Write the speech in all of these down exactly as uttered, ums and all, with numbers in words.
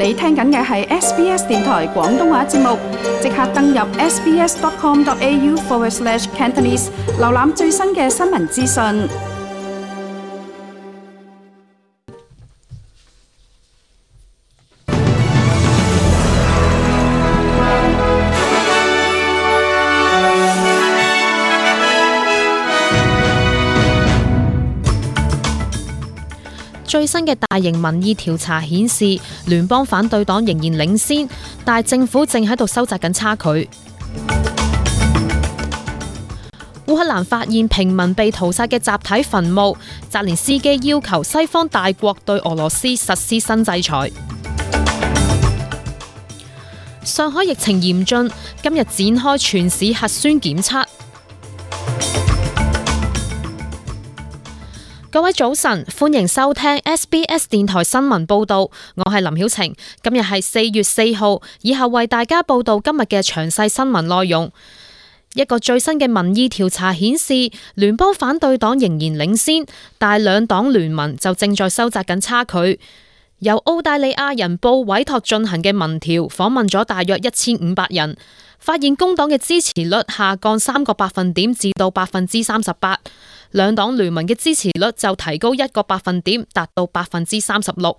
你聽緊嘅係 S B S 電台廣東話節目，即刻登入 sbs.com.au forward slash Cantonese， 瀏覽最新嘅新聞資訊。最新嘅大型民意調查顯示，聯邦反對黨仍然領先，但係政府正喺度收窄緊差距。烏克蘭發現平民被屠殺嘅集體墳墓，澤連斯基要求西方大國對俄羅斯實施新制裁。上海疫情嚴峻，今日展開全市核酸檢測。各位早晨，歡迎收聽 S B S 電台新聞報道，我係林曉晴。今日係四月四號，以後為大家報道今日嘅詳細新聞內容。一個最新嘅民意調查顯示，聯邦反對黨仍然領先，但兩黨聯盟就正在收窄緊差距。由澳大利亞人報委託進行嘅民調，訪問咗大約一千五百人，發現工黨嘅支持率下降三個百分點至到百分之三十八。兩黨聯盟嘅支持率就提高一個百分點，達到百分之三十六。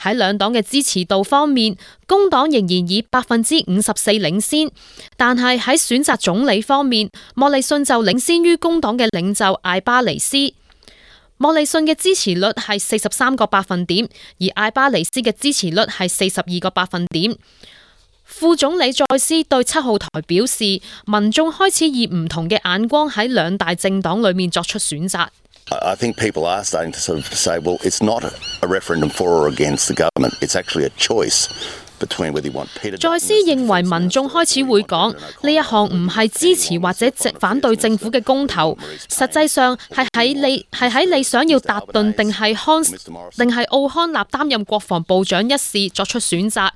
喺兩黨嘅支持度方面，工黨仍然以百分之五十四領先，但係喺選擇總理方面，莫里遜就領先於工黨嘅領袖艾巴尼斯。莫里遜嘅支持率係四十三個百分點，而艾巴尼斯嘅支持率係四十二個百分點。副總理再斯對七號台表示，民眾開始以唔同嘅眼光喺兩大政黨裏面作出選擇。I think people are starting to sort of say, well, it's not a referendum for or against the government. It's actually a choice between whether you want Peter. 再斯認為民眾開始會講呢一項唔係支持或者反對政府嘅公投，實際上係喺你係喺你想要達頓定係康定係奧康納擔任國防部長一事作出選擇，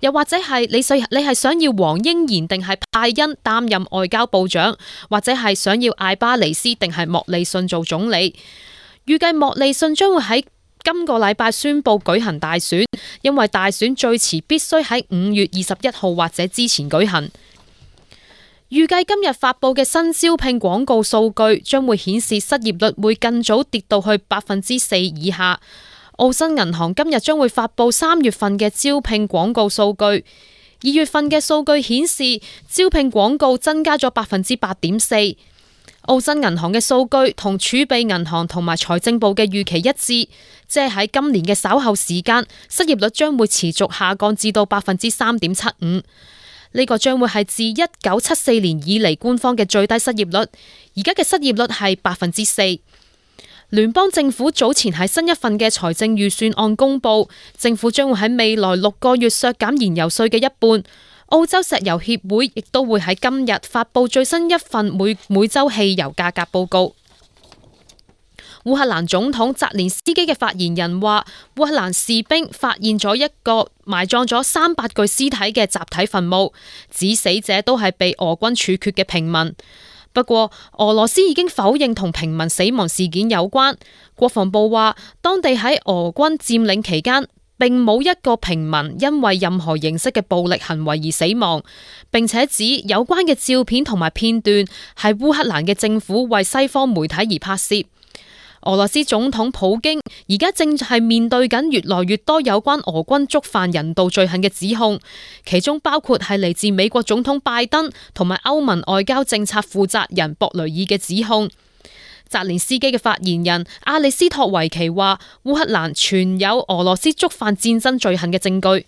又或者係你想你係想要黃英賢定係派恩擔任外交部長，或者係想要艾巴尼斯定係莫里遜做總理。預計莫里遜將會喺今個禮拜宣布舉行大選，因為大選最遲必須喺五月二十一號或者之前舉行。預計今日發佈嘅新招聘廣告數據將會顯示失業率會更早跌到去百分之四以下。澳新銀行今日將會發佈三月份嘅招聘廣告數據，二月份嘅數據顯示招聘廣告增加咗百分之八點四。澳新銀行嘅數據同儲備銀行同埋財政部嘅預期一致，即係喺今年嘅稍後時間，失業率將會持續下降至到百分之三點七五。呢個將會係自一九七四年以嚟官方嘅最低失業率，而家嘅失業率係百分之四。聯邦政府早前喺新一份嘅財政預算案公佈，政府將會喺未來六個月削減燃油稅嘅一半。澳洲石油協會亦都會喺今日發佈最新一份每每週汽油價格報告。烏克蘭總統澤連斯基嘅發言人話，烏克蘭士兵發現咗一個埋葬咗三百具屍體嘅集體墳墓，指死者都係被俄軍處決嘅平民。不過，俄羅斯已經否認同平民死亡事件有關。國防部話，當地喺俄軍佔領期間，並冇一個平民因為任何形式嘅暴力行為而死亡，並且指有關嘅照片同埋片段係烏克蘭嘅政府為西方媒體而拍攝。俄羅斯總統普京而家正係面對緊越來越多有關俄軍觸犯人道罪行嘅指控，其中包括係嚟自美國總統拜登同埋歐盟外交政策負責人博雷爾嘅指控。澤連斯基嘅發言人阿里斯托維奇話，烏克蘭存有俄羅斯觸犯戰爭罪行嘅證據。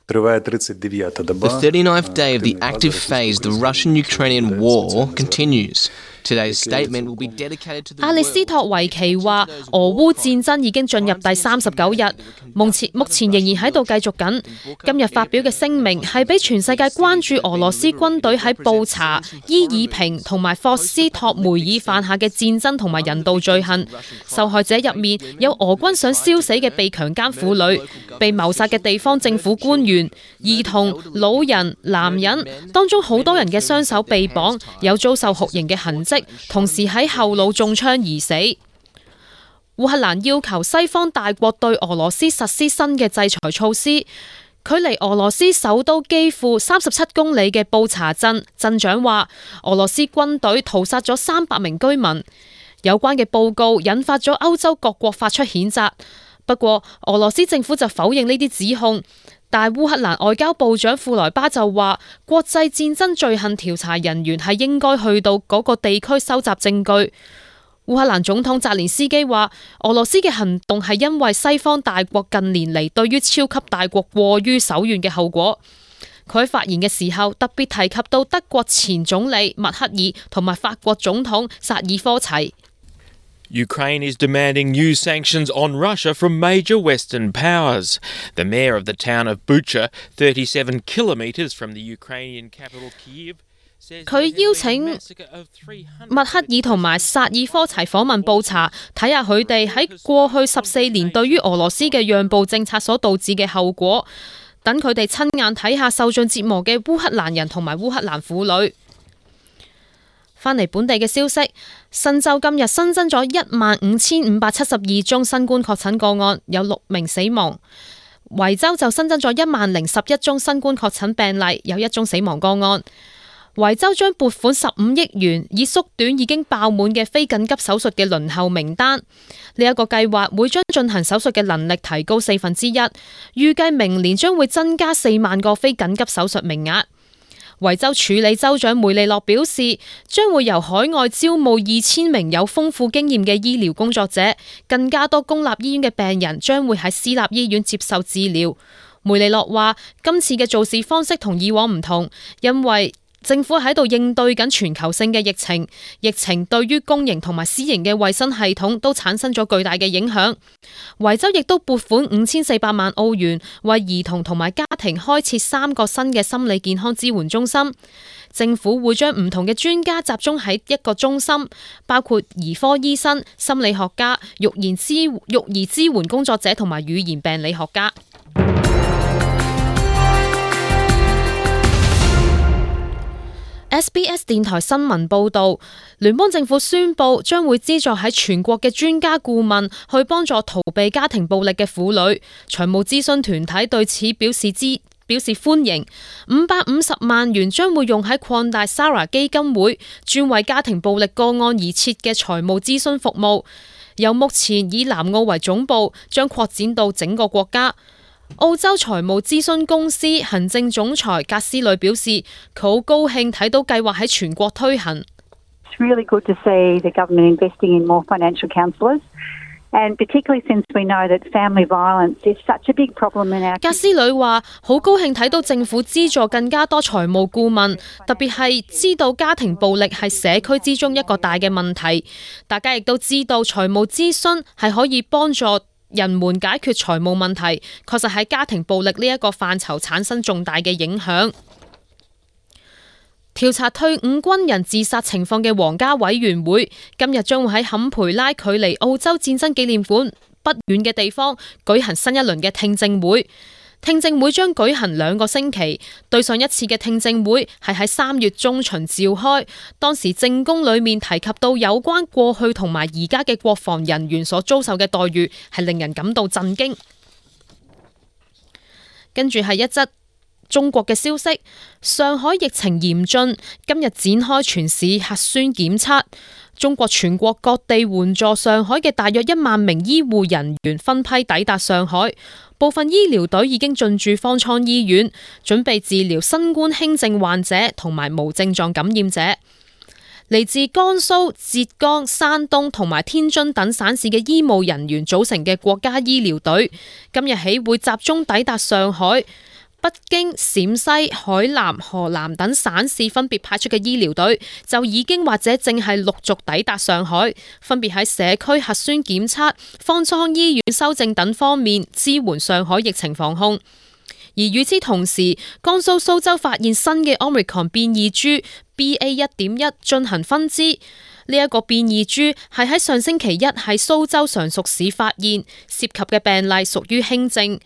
The thirty-ninth day of the active phase of the Russian-Ukrainian war continues. Today's statement will be dedicated to the 阿里斯托維奇話，俄烏戰爭已經進入第三十九日，目前目前仍然喺度繼續緊。今日發表嘅聲明係俾全世界關注俄羅斯軍隊喺布查、伊爾平同埋霍斯托梅爾犯下嘅戰爭同埋人道罪行。受害者入面有俄軍想燒死嘅被強姦婦女、被謀殺嘅地方政府官員、兒童、老人、男人，當中好多人嘅雙手被綁，有遭受酷刑嘅痕跡，同時喺後腦中槍而死。烏克蘭要求西方大國對俄羅斯實施新嘅制裁措施，距離俄羅斯首都基輔三十七公里嘅布查鎮鎮長話，俄羅斯軍隊屠殺咗三百名居民。有關嘅報告引發咗歐洲各國發出譴責，不過俄羅斯政府就否認呢啲指控。但烏克蘭外交部長庫萊巴就話，國際戰爭罪行調查人員係應該去到嗰個地區收集證據。烏克蘭總統澤連斯基話，俄羅斯嘅行動係因為西方大國近年嚟對於超級大國過於手軟嘅後果。佢喺發言嘅時候特別提及到德國前總理默克爾同埋法國總統薩爾科齊。Ukraine is demanding new sanctions on Russia from major Western powers. The mayor of the town of Bucha, thirty-seven kilometres from the Ukrainian capital Kyiv, says 佢邀請默克爾同埋薩爾科齊訪問布查，睇下佢哋喺過去十四年對於俄羅斯嘅讓步政策所導致嘅後果，等佢哋親眼睇下受盡折磨嘅烏克蘭人同埋烏克蘭婦女。返嚟本地嘅消息，新州今日新增咗一萬五千五百七十二宗新冠確診個案，有六名死亡。維州就新增咗一萬零十一宗新冠確診病例，有一宗死亡個案。維州將撥款十五億元，以縮短已經爆滿嘅非緊急手術嘅輪候名單。呢一個計劃會將進行手術嘅能力提高四分之一，預計明年將會增加四萬個非緊急手術名額。維州處理州長梅利諾表示，將會由海外招募二千名有豐富經驗嘅醫療工作者，更加多公立醫院嘅病人將會喺私立醫院接受治療。梅利諾話，今次嘅做事方式同以往唔同，因為政府喺度應對緊全球性嘅疫情，疫情對於公營同埋私營嘅衛生系統都產生咗巨大嘅影響。維州亦都撥款五千四百萬澳元，為兒童同埋家庭開設三個新嘅心理健康支援中心。政府會將唔同嘅專家集中喺一個中心，包括兒科醫生、心理學家、育兒支育兒支援工作者同埋語言病理學家。S B S 電台新聞報導，聯邦政府宣布將會資助喺全國嘅專家顧問去幫助逃避家庭暴力嘅婦女。財務諮詢團體對此表示支表示歡迎。五百五十萬元將會用喺擴大 Sarah 基金會專為家庭暴力個案而設嘅財務諮詢服務，由目前以南澳為總部，將擴展到整個國家。澳洲財務諮詢公司行政總裁格斯雷表示，佢好高興睇到計劃喺全國推行。It's really good to see the government investing in more financial counsellors, and particularly since we know that family violence is such a big problem in our. 格斯雷話：好高興睇到政府資助更加多財務顧問，特別係知道家庭暴力係社區之中一個大嘅問題。大家亦都知道財務諮詢係可以幫助人們解決財務問題，確實喺家庭暴力呢一個範疇產生重大嘅影響。調查退伍軍人自殺情況嘅皇家委員會今日將會喺坎培拉距離澳洲戰爭紀念館不遠嘅地方舉行新一輪嘅聽證會。聽證會將舉行兩個星期，對上一次嘅聽證會係喺三月中旬召開，當時證供裏面提及到有關過去同埋而家嘅國防人員所遭受嘅待遇，係令人感到震驚。跟住係一則中國嘅消息，上海疫情嚴峻，今日展開全市核酸檢測。中國全國各地援助上海嘅大約一萬名醫護人員分批抵達上海，部分醫療隊已經進駐方艙醫院，準備治療新冠輕症患者同埋無症狀感染者。嚟自江蘇、浙江、山東同埋天津等省市嘅醫務人員組成嘅國家醫療隊，今日起會集中抵達上海。北京、陝西、海南、河南等省市分別派出嘅醫療隊就已經或者正係陸續抵達上海，分別喺社區核酸檢測、方艙醫院修正等方面支援上海疫情防控。而與此同時，江蘇蘇州發現新嘅 Omicron 變異株 B A 一點一 進行分支，呢、這、一個變異株係喺上星期一喺蘇州常熟市發現，涉及嘅病例屬於輕症。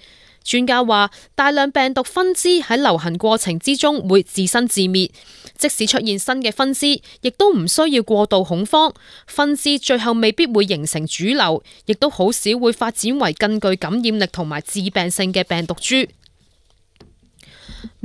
專家話，大量病毒分支喺流行過程之中會自生自滅，即使出現新嘅分支，亦都唔需要過度恐慌。分支最後未必會形成主流，亦都好少會發展為更具感染力同埋致病性嘅病毒株。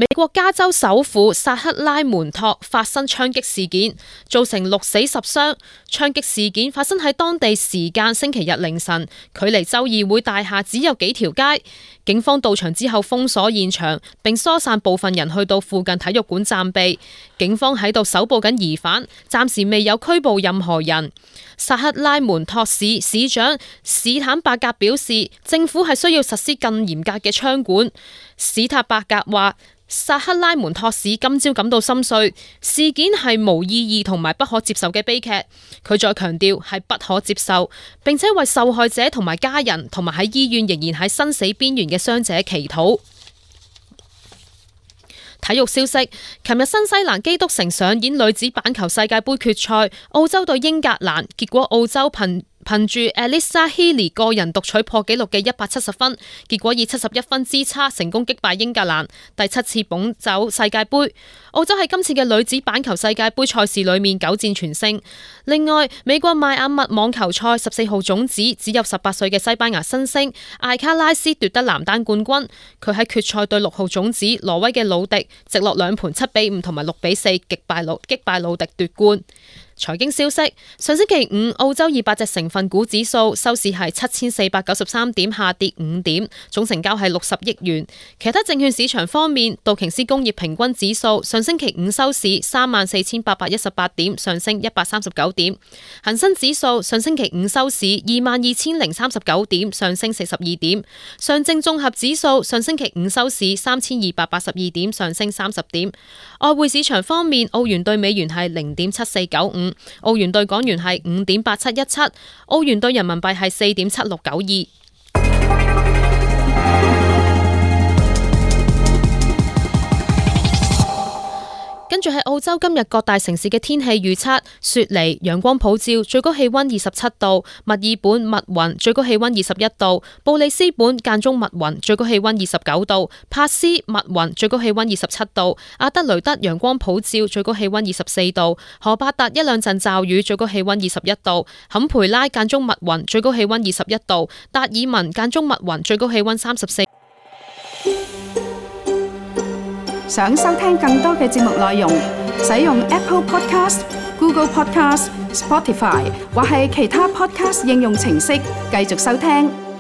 美國加州首府薩克拉門托發生槍擊事件，造成六死十傷。槍擊事件發生喺當地時間星期日凌晨，距離州議會大廈只有幾條街。警方到場之後封鎖現場，並疏散部分人去到附近體育館暫避。警方喺度搜捕緊疑犯，暫時未有拘捕任何人。薩克拉門托市市長史坦伯格表示，政府係需要實施更嚴格嘅槍管。史坦伯格話，薩克拉門托市今朝感到心碎，事件係無意義同埋不可接受嘅悲劇。佢再強調係不可接受，並且為受害者同埋家人同埋喺醫院仍然喺生死邊緣嘅傷者祈禱。體育消息，琴日新西蘭基督城上演女子板球世界盃決賽，澳洲對英格蘭，結果澳洲憑憑住 Alyssa Healy 個人獨取破紀錄嘅一百七十分，結果以七十一分之差成功擊敗英格蘭，第七次捧走世界盃。澳洲喺今次嘅女子板球世界盃賽事裏面九戰全勝。另外，美國邁阿密網球賽十四號種子只有十八歲嘅西班牙新星艾卡拉斯奪得男單冠軍，佢喺決賽對六號種子挪威嘅魯迪，直落兩盤七比五同埋六比四擊敗魯擊敗魯迪奪冠。財經消息，上星期五澳洲二百隻成分股指數收市係七千四百九十三點，下跌五點，總成交係六十億元。其他證券市場方面，道瓊斯工業平均指數上星期五收市三萬四千八百一十八點，上升一百三十九點。恒生指數上星期五收市二萬二千零三十九點，上升四十二點。上證綜合指數上星期五收市三千二百八十二點，上升三十點。外匯市場方面，澳元對美元係零點七四九五。澳元兌港元係五點八七一七，澳元兌人民幣係四點七六九二。跟住係澳洲今日各大城市嘅天氣預測：雪梨陽光普照，最高氣溫二十七度；墨爾本密雲，最高氣溫二十一度；布里斯本間中密雲，最高氣溫二十九度；帕斯密雲，最高氣溫二十七度；阿德雷德陽光普照，最高氣溫二十四度；荷伯特一兩陣驟雨，最高氣溫二十一度；坎培拉間中密雲，最高氣溫二十一度；達爾文間中密雲，最高氣溫三十四。想收聽更多嘅節目內容，使用 Apple Podcast、Google Podcast、Spotify 或係其他 Podcast 應用程式繼續收聽。